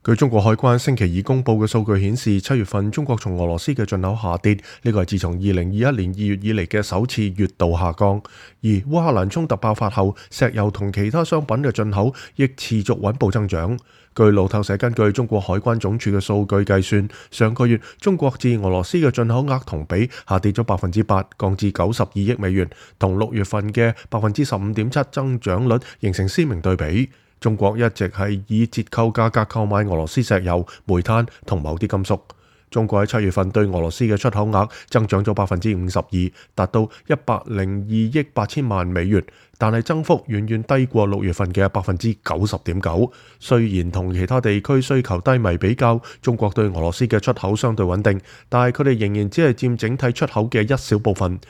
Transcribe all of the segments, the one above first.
據中國海關星期二公佈嘅數據顯示，7月份中國從俄羅斯嘅進口下跌，呢個係自從2021年2月以嚟嘅首次月度下降。而烏克蘭衝突爆發後，石油同其他商品嘅進口亦持續穩步增長。據路透社根據中國海關總署嘅數據計算，上個月中國自俄羅斯嘅進口額同比下跌咗8%，降至92億美元，同6月份嘅15.7%增長率形成鮮明對比。中國一直係以折扣價格購買俄羅斯石油、煤炭同某啲金屬。中國喺7月份對俄羅斯嘅出口額增長咗52%，達到102億8千萬美元，但係增幅遠遠低過6月份嘅90.9%。雖然同其他地區需求低迷比較，中國對俄羅斯嘅出口相對穩定，但係佢哋仍然只係佔整體出口嘅一小部分，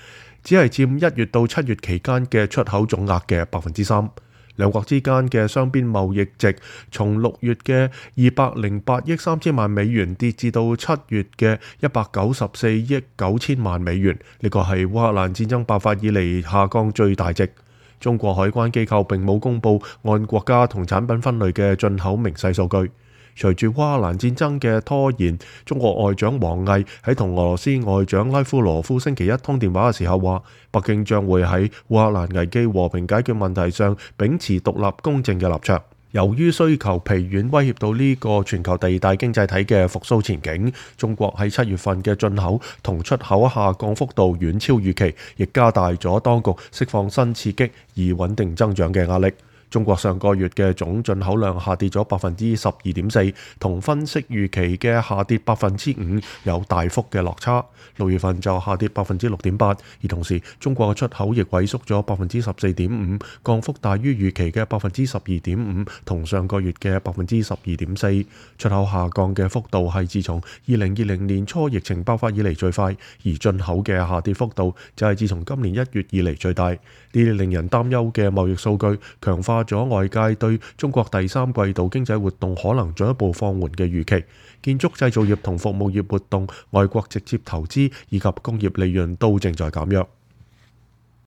只係佔1月到7月期間嘅出口總額嘅3%。兩國之間嘅雙邊貿易值從6月嘅208億3千萬美元跌至到7月嘅194億9千萬美元，呢個係烏克蘭戰爭爆發以嚟下降最大值。中國海關機構並冇公佈按國家同產品分類嘅進口明細數據。隨住烏克蘭戰爭嘅拖延，中國外長王毅喺同俄羅斯外長拉夫羅夫星期一通電話嘅時候話，北京將會喺烏克蘭危機和平解決問題上秉持獨立公正嘅立場。由於需求疲軟威脅到呢個全球第二大經濟體嘅復甦前景，中國喺7月份嘅進口同出口下降幅度遠超預期，亦加大咗當局釋放新刺激而穩定增長嘅壓力。中國上個月嘅總進口量下跌咗12.4%，同分析預期嘅下跌5%有大幅嘅落差。6月份就下跌6.8%，而同時中國嘅出口亦萎縮咗14.5%，降幅大於預期嘅12.5%，同上個月嘅12.4%。出口下降嘅幅度係自從2020年初疫情爆發以嚟最快，而進口嘅下跌幅度就係自從今年1月以嚟最大。呢啲令人擔憂嘅貿易數據強化咗外界對中國第三季度經濟活動可能進一步放緩嘅預期。建築製造業同服務業活動、外國直接投資以及工業利潤都正在減弱。